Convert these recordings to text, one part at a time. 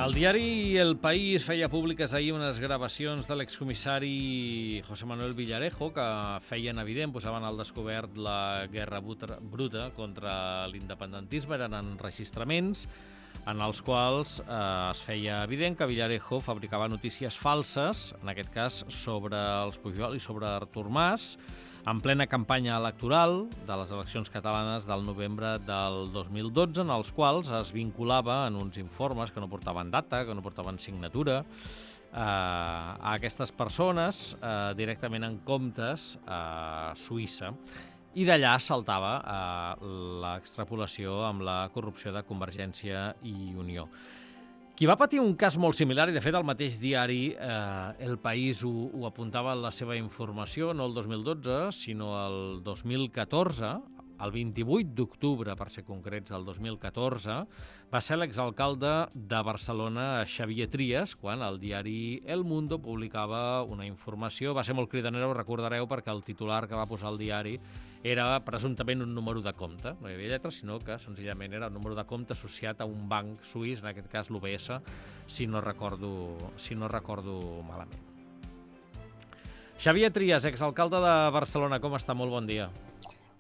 El diari El País feia públiques ahir unes gravacions de l'excomissari José Manuel Villarejo que feien evident, posaven al descobert la guerra bruta contra l'independentisme. Eren enregistraments en els quals es feia evident que Villarejo fabricava notícies falses, en aquest cas sobre els Pujol i sobre Artur Mas, en plena campanya electoral de les eleccions catalanes del novembre del 2012, en els quals es vinculava en uns informes que no portaven data, que no portaven signatura, a aquestes persones directament en comptes a Suïssa. I d'allà saltava l'extrapolació amb la corrupció de Convergència i Unió. Qui va patir un cas molt similar, i de fet el mateix diari El País ho apuntava en la seva informació, no el 2012, sinó el 2014, el 28 d'octubre, per ser concrets, del 2014, va ser l'exalcalde de Barcelona, Xavier Trias, quan el diari El Mundo publicava una informació. Va ser molt cridanera, ho recordareu, perquè el titular que va posar el diari era presumptament un número de compte. No hi havia lletres, sinó que senzillament era un número de compte associat a un banc suís, en aquest cas l'UBS, si no recordo malament. Xavier Trias, exalcalde de Barcelona, com està? Molt bon dia.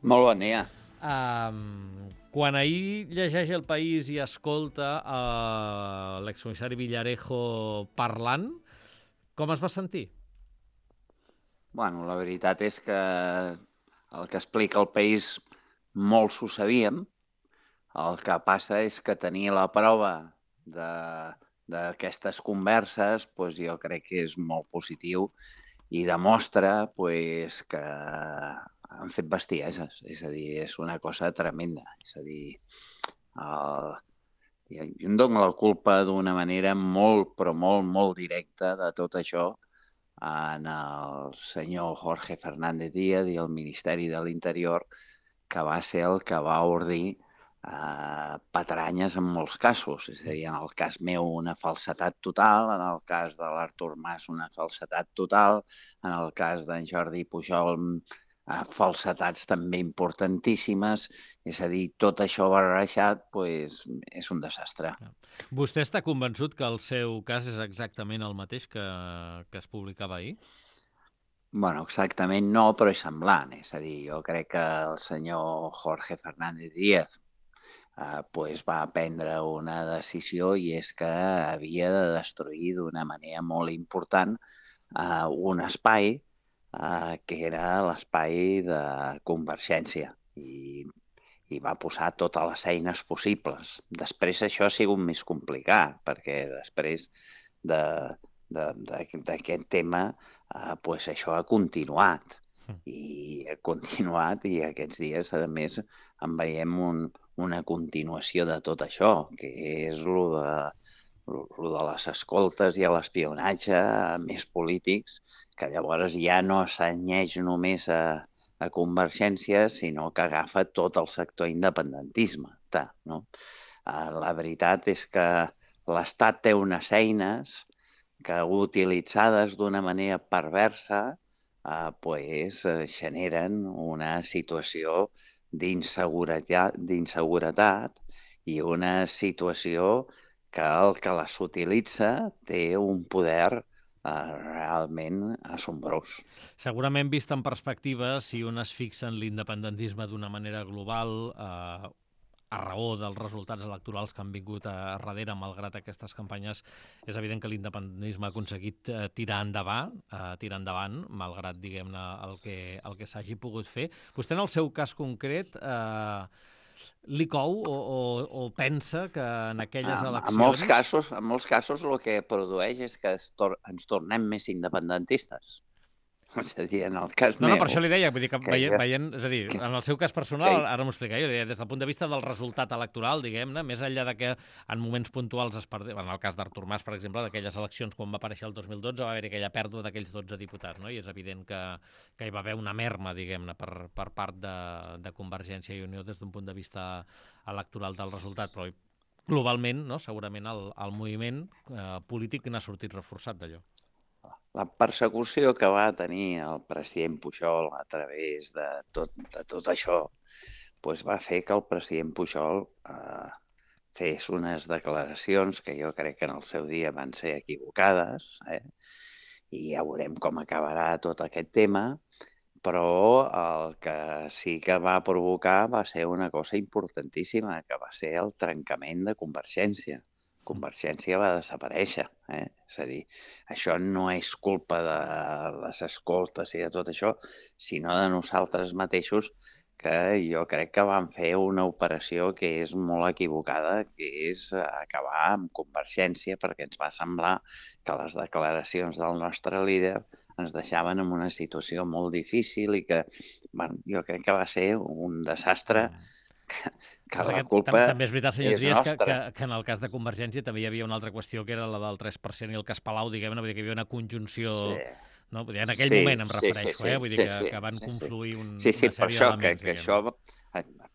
Molt bon dia. Quan ahir llegeix El País i escolta l'excomissari Villarejo parlant, com es va sentir? Bueno, la veritat és que el que explica El País molts ho sabíem. El que passa és que tenir la prova d'aquestes converses jo crec que és molt positiu i demostra que han fet bestieses. És a dir, és una cosa tremenda. És a dir, jo em dono la culpa d'una manera molt, però molt directa de tot això en el senyor Jorge Fernández Díaz i el Ministeri de l'Interior, que va ser el que va ordir patranyes en molts casos. És a dir, en el cas meu una falsedat total, en el cas de l'Artur Mas una falsedat total, en el cas d'en Jordi Pujol falsetats també importantíssimes. És a dir, tot això barrejat és un desastre. Vostè està convençut que el seu cas és exactament el mateix que es publicava ahir? Bueno, exactament no, però és semblant. És a dir, jo crec que el senyor Jorge Fernández Díaz va prendre una decisió, i és que havia de destruir d'una manera molt important un espai que era l'espai de Convergència, i va posar totes les eines possibles. Després això ha sigut més complicat, perquè després d'aquest tema això ha continuat. I ha continuat, i aquests dies, a més, en veiem una continuació de tot això, que és lo de les escoltes i l'espionatge a més polítics, que llavors ja no s'anyeix només a Convergència, sinó que agafa tot el sector independentisme. No? La veritat és que l'Estat té unes eines que, utilitzades d'una manera perversa, generen una situació d'inseguretat i una situació que el que les utilitza té un poder realment assombrós. Segurament, vist en perspectiva, si un es fixa en l'independentisme d'una manera global, a raó dels resultats electorals que han vingut a darrere, malgrat aquestes campanyes, és evident que l'independentisme ha aconseguit tirar endavant, malgrat, diguem-ne, el que s'hagi pogut fer. Vostè, en el seu cas concret, li cou o pensa que en aquelles eleccions... En molts casos el que produeix és que ens tornem més independentistes. És a dir, en el cas meu... No, per això li deia, vull dir que veient, és a dir, en el seu cas personal, ara m'ho explica jo, des del punt de vista del resultat electoral, diguem-ne, més enllà de que en moments puntuals es perdés, en el cas d'Artur Mas, per exemple, d'aquelles eleccions quan va aparèixer el 2012, va haver aquella pèrdua d'aquells 12 diputats, no? I és evident que hi va haver una merma, diguem-ne, per part de Convergència i Unió des d'un punt de vista electoral del resultat, però globalment, no? Segurament el moviment polític n'ha sortit reforçat d'allò. La persecució que va tenir el president Pujol a través de tot això va fer que el president Pujol fes unes declaracions que jo crec que en el seu dia van ser equivocades, i ja veurem com acabarà tot aquest tema, però el que sí que va provocar va ser una cosa importantíssima, que va ser el trencament de Convergència. Convergència va desaparèixer. És a dir, això no és culpa de les escoltes i de tot això, sinó de nosaltres mateixos, que jo crec que van fer una operació que és molt equivocada, que és acabar amb Convergència, perquè ens va semblar que les declaracions del nostre líder ens deixaven en una situació molt difícil i que, bueno, jo crec que va ser un desastre que la culpa també és veritat, senyor és Trias, nostra. que en el cas de Convergència també hi havia una altra qüestió, que era la del 3% i el cas Palau, diguem-ne, vull dir que hi havia una conjunció... Sí, No? Vull dir, en aquell sí, moment em sí, sí, refereixo, sí, vull dir sí, sí, que van sí, sí. confluir Sí, una per sèrie això, d'elements, que diguem-ne.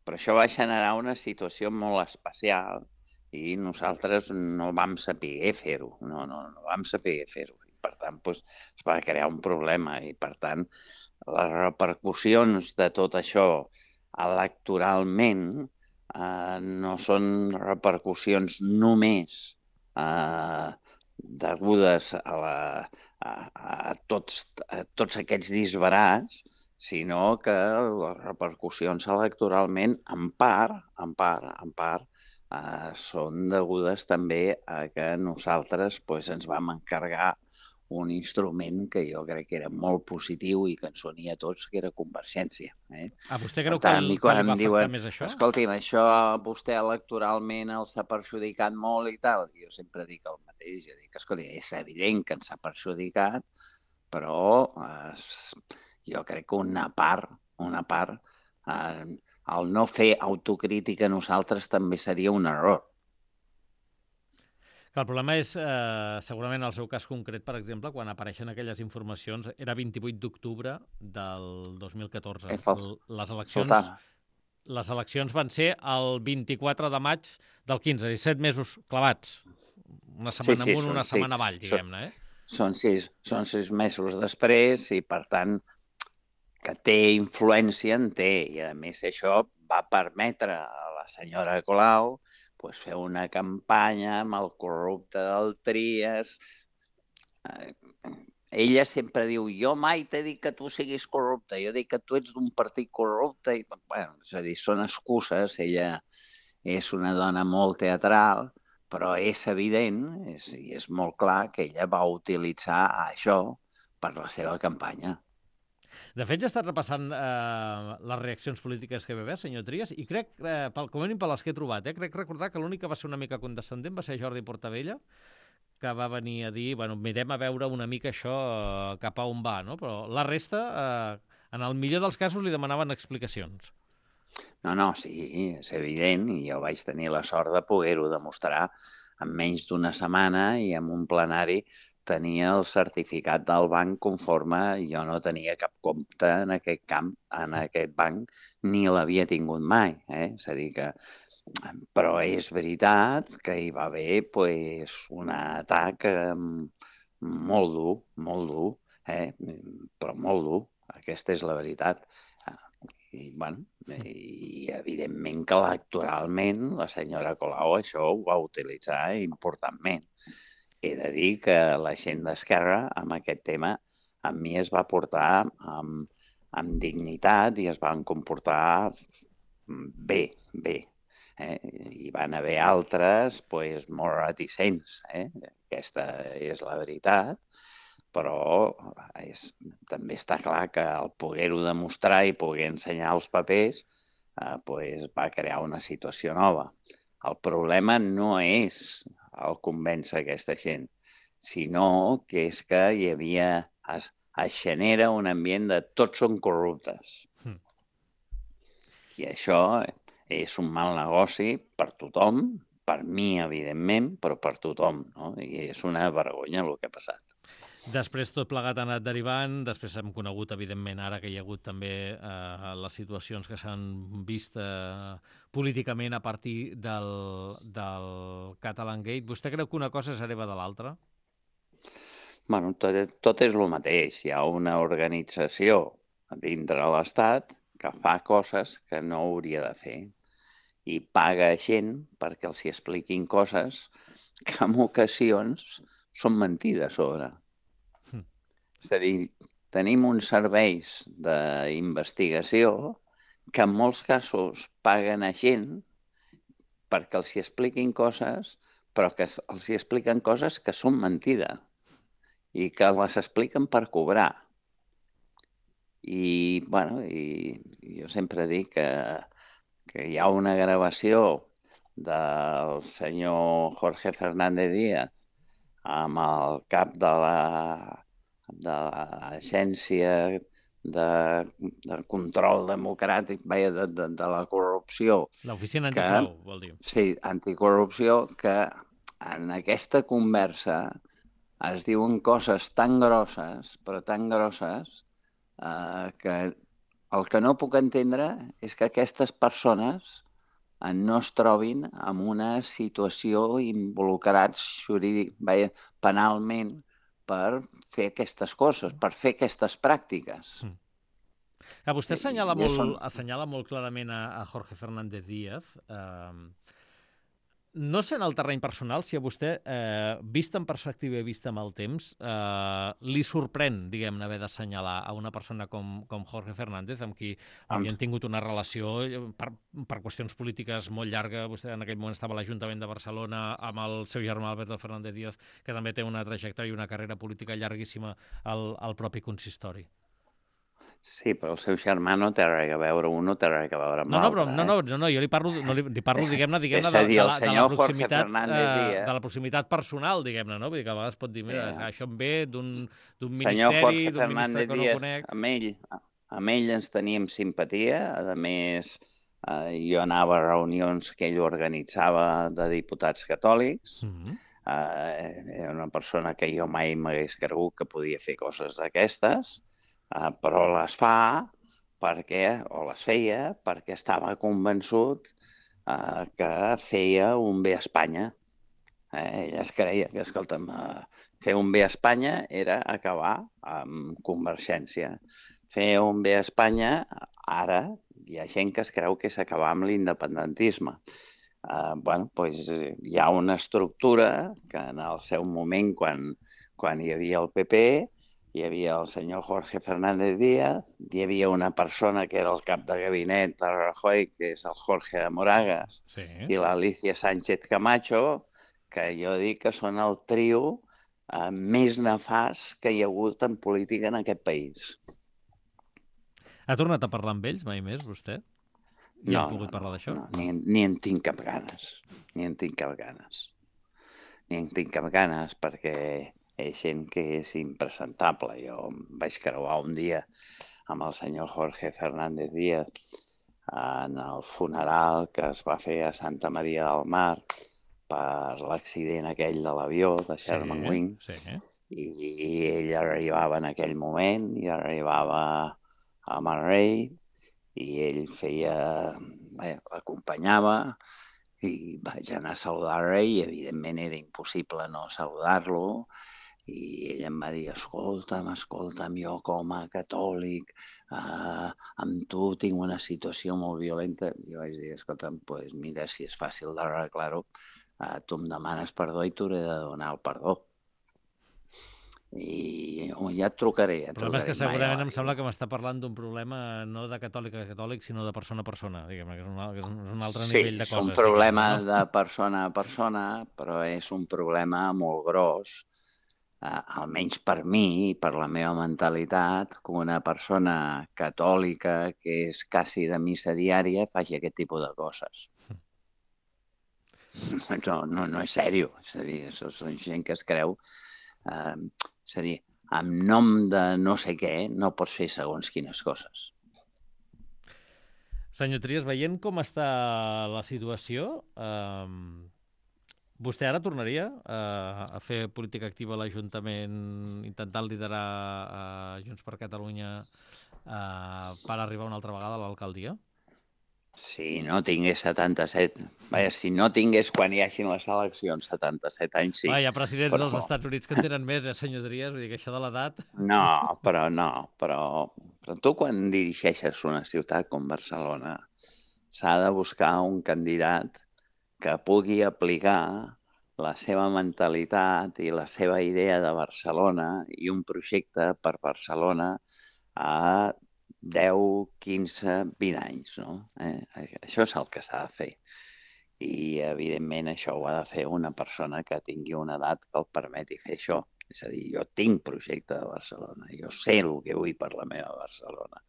però això va generar una situació molt especial i nosaltres no vam saber fer-ho, no vam saber fer-ho. I per tant, doncs, es va crear un problema i per tant les repercussions de tot això electoralment no són repercussions només degudes a tots aquests disbarats, sinó que les repercussions electoralment, en part, són degudes també a que nosaltres ens vam encarregar un instrument que jo crec que era molt positiu i que ens unia a tots, que era Convergència. Vostè Per creu tant, a mi que quan li em va afectar diuen, més això? escolti'm, això a vostè electoralment els ha perjudicat molt i tal, jo sempre dic el mateix, jo dic, escolta, és evident que ens ha perjudicat, però jo crec que una part, el no fer autocrítica a nosaltres també seria un error. El problema és, segurament, el seu cas concret, per exemple, quan apareixen aquelles informacions, era 28 d'octubre del 2014. Faltava. Les eleccions van ser el 24 de maig del 15, 17 mesos clavats. Una Sí, setmana sí, amunt, una setmana avall, són, diguem-ne, són 6 mesos després i, per tant, que té influència, en té. I, a més, això va permetre a la senyora Colau fer una campanya amb el corrupte del Trias. Ella sempre diu, jo mai t'he dit que tu siguis corrupte, jo dic que tu ets d'un partit corrupte. I, bueno, és a dir, són excuses. Ella és una dona molt teatral, però és evident, i és molt clar, que ella va utilitzar això per la seva campanya. De fet, ja he estat repassant les reaccions polítiques que va haver, senyor Trias, i crec, com a mínim per les que he trobat, crec recordar que l'únic que va ser una mica condescendent va ser Jordi Portabella, que va venir a dir, bueno, mirem a veure una mica això cap a on va, no? Però la resta, en el millor dels casos, li demanaven explicacions. No, sí, és evident, i jo vaig tenir la sort de poder-ho demostrar en menys d'una setmana i en un plenari tenia el certificat del banc conforme jo no tenia cap compte en aquest camp, en aquest banc, ni l'havia tingut mai. És a dir que... Però és veritat que hi va haver un atac molt dur, però molt dur. Aquesta és la veritat. I, bueno, i evidentment que electoralment la senyora Colau això ho va utilitzar importantment. He de dir que la gent d'Esquerra amb aquest tema a mi es va portar amb dignitat i es van comportar bé. Hi van haver altres molt reticents. Aquesta és la veritat, però també està clar que el poder-ho demostrar i poder ensenyar els papers va crear una situació nova. El problema no és el convèncer aquesta gent, sinó que és que hi havia... Es genera un ambient de tots són corruptes. I això és un mal negoci per tothom, per mi, evidentment, però per tothom, no? I és una vergonya el que ha passat. Després tot plegat ha anat derivant, després hem conegut, evidentment, ara que hi ha hagut també les situacions que s'han vist políticament a partir del Catalan Gate. Vostè creu que una cosa és hereva de l'altra? Bueno, tot és el mateix. Hi ha una organització dintre l'Estat que fa coses que no hauria de fer. i paga gent perquè els hi expliquin coses que en ocasions són mentides sobre. És a dir, tenim uns serveis d'investigació que en molts casos paguen a gent perquè els hi expliquin coses, però que els hi expliquen coses que són mentida i que les expliquen per cobrar. I, bueno, jo sempre dic que hi ha una gravació del senyor Jorge Fernández Díaz amb el cap de l'Agència de Control Democràtic, de la corrupció. L'oficina antifrau, vol dir. Sí, anticorrupció, que en aquesta conversa es diuen coses tan grosses, però tan grosses, que el que no puc entendre és que aquestes persones no es trobin en una situació involucrats penalment per fer aquestes coses, per fer aquestes pràctiques. Vostè assenyala molt clarament a Jorge Fernández Díaz. No sé en el terreny personal si a vostè, vist en perspectiva i vist amb el temps, li sorprèn, diguem-ne, haver d'assenyalar a una persona com Jorge Fernández, amb qui havien tingut una relació per qüestions polítiques molt llarga. Vostè en aquell moment estava a l'Ajuntament de Barcelona amb el seu germà Alberto Fernández Díaz, que també té una trajectòria i una carrera política llarguíssima al propi consistori. Sí, però el seu germà no té res a veure, un no té res a veure amb l'altre. No, jo li parlo diguem-ne, de la proximitat personal, diguem-ne, no? Vull dir que a vegades pot dir, mira, això em ve d'un ministeri, d'un ministre que no conec. Amb ell ens teníem simpatia, a més, jo anava a reunions que ell organitzava de diputats catòlics, era una persona que jo mai m'hagués cregut que podia fer coses d'aquestes, però les fa o les feia perquè estava convençut que feia un bé a Espanya. Ell es creia que, escolta'm, fer un bé a Espanya era acabar amb Convergència. Fer un bé a Espanya, ara hi ha gent que es creu que és acabar amb l'independentisme. Hi ha una estructura que en el seu moment, quan hi havia el PP, hi havia el senyor Jorge Fernández Díaz, hi havia una persona que era el cap de gabinet de Rajoy, que és el Jorge de Moragas, i l'Alicia Sánchez Camacho, que jo dic que són el trio més nefast que hi ha hagut en política en aquest país. Ha tornat a parlar amb ells mai més, vostè? I hem pogut parlar d'això? No, ni en tinc cap ganes. Ni en tinc cap ganes perquè és gent que és impresentable. Jo em vaig creuar un dia amb el senyor Jorge Fernández Díaz en el funeral que es va fer a Santa Maria del Mar per l'accident aquell de l'avió de Sherman Wing. I ell arribava en aquell moment, i arribava amb el rei, i ell l'acompanyava, i vaig anar a saludar el rei, i evidentment era impossible no saludar-lo, i ell em va dir, escolta'm, jo com a catòlic, amb tu tinc una situació molt violenta. Jo vaig dir, escolta'm, doncs mira, si és fàcil d'arreglar-ho, tu em demanes perdó i t'hauré de donar el perdó. I ja et trucaré. El problema és que segurament em sembla que m'està parlant d'un problema no de catòlic a catòlic, sinó de persona a persona, diguem-ne, que és un altre nivell de coses. Sí, és un problema de persona a persona, però és un problema molt gros, almenys per mi i per la meva mentalitat, que una persona catòlica que és quasi de missa diària faci aquest tipus de coses. No és sèrio, és a dir, són gent que es creu... És a dir, en nom de no sé què no pots fer segons quines coses. Senyor Trias, veient com està la situació, vostè ara tornaria a fer política activa a l'Ajuntament, intentant liderar Junts per Catalunya per arribar una altra vegada a l'alcaldia? Si no tingués 77... si no tingués quan hi hagin les eleccions 77 anys, sí. Hi ha presidents dels Estats Units que en tenen més, senyor Trias? Vull dir que això de l'edat... Però tu quan dirigeixes una ciutat com Barcelona, s'ha de buscar un candidat que pugui aplicar la seva mentalitat i la seva idea de Barcelona i un projecte per Barcelona a 10, 15, 20 anys, no? Això és el que s'ha de fer. I, evidentment, això ho ha de fer una persona que tingui una edat que el permeti fer això. És a dir, jo tinc projecte de Barcelona, jo sé el que vull per la meva Barcelona,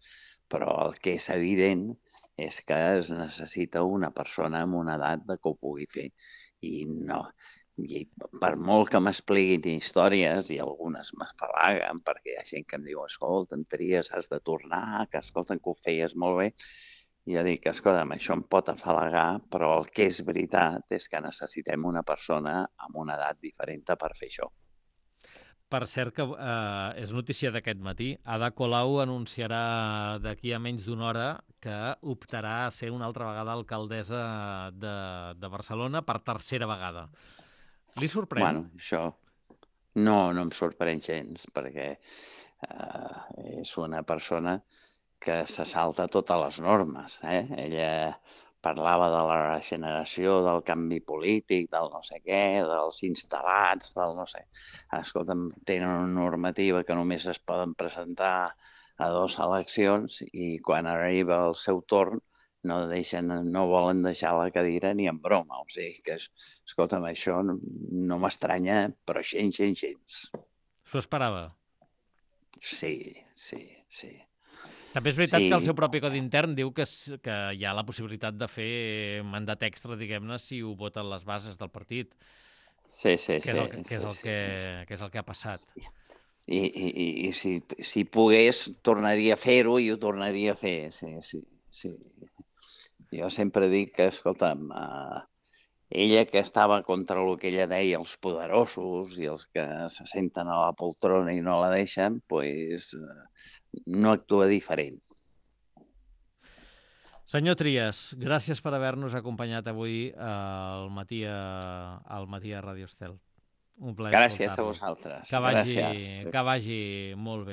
però el que és evident és que es necessita una persona amb una edat que ho pugui fer. I no, i per molt que m'expliquin històries, i algunes m'afalaguen, perquè hi ha gent que em diu, escolta, Tries, has de tornar, que escolta, que ho feies molt bé. I jo dic, escolta'm, això em pot afalagar, però el que és veritat és que necessitem una persona amb una edat diferent per fer això. Per cert, que és notícia d'aquest matí, Ada Colau anunciarà d'aquí a menys d'una hora que optarà a ser una altra vegada alcaldessa de Barcelona per tercera vegada. Li sorprèn? Bueno, això no em sorprèn gens, perquè és una persona que se salta totes les normes. Ella parlava de la regeneració, del canvi polític, del no sé què, dels instal·lats, del no sé. Escolta'm, tenen una normativa que només es poden presentar a 2 eleccions i quan arriba el seu torn no volen deixar la cadira ni en broma. O sigui que, escolta'm, això no m'estranya, però gens. S'ho esperava? Sí. També és veritat que el Sí, seu propi codi intern diu que hi ha la possibilitat de fer mandat extra, diguem-ne, si ho voten les bases del partit, sí. que és el que ha passat. I si pogués, tornaria a fer-ho i ho tornaria a fer, sí. Jo sempre dic que, escolta'm, ella que estava contra el que ella deia, els poderosos i els que se senten a la poltrona i no la deixen, doncs no actua diferent. Senyor Trias, gràcies per haver-nos acompanyat avui al matí a Radio Estel. Un plaer Gràcies a escoltar-lo. vosaltres. Que Gràcies. vagi molt bé.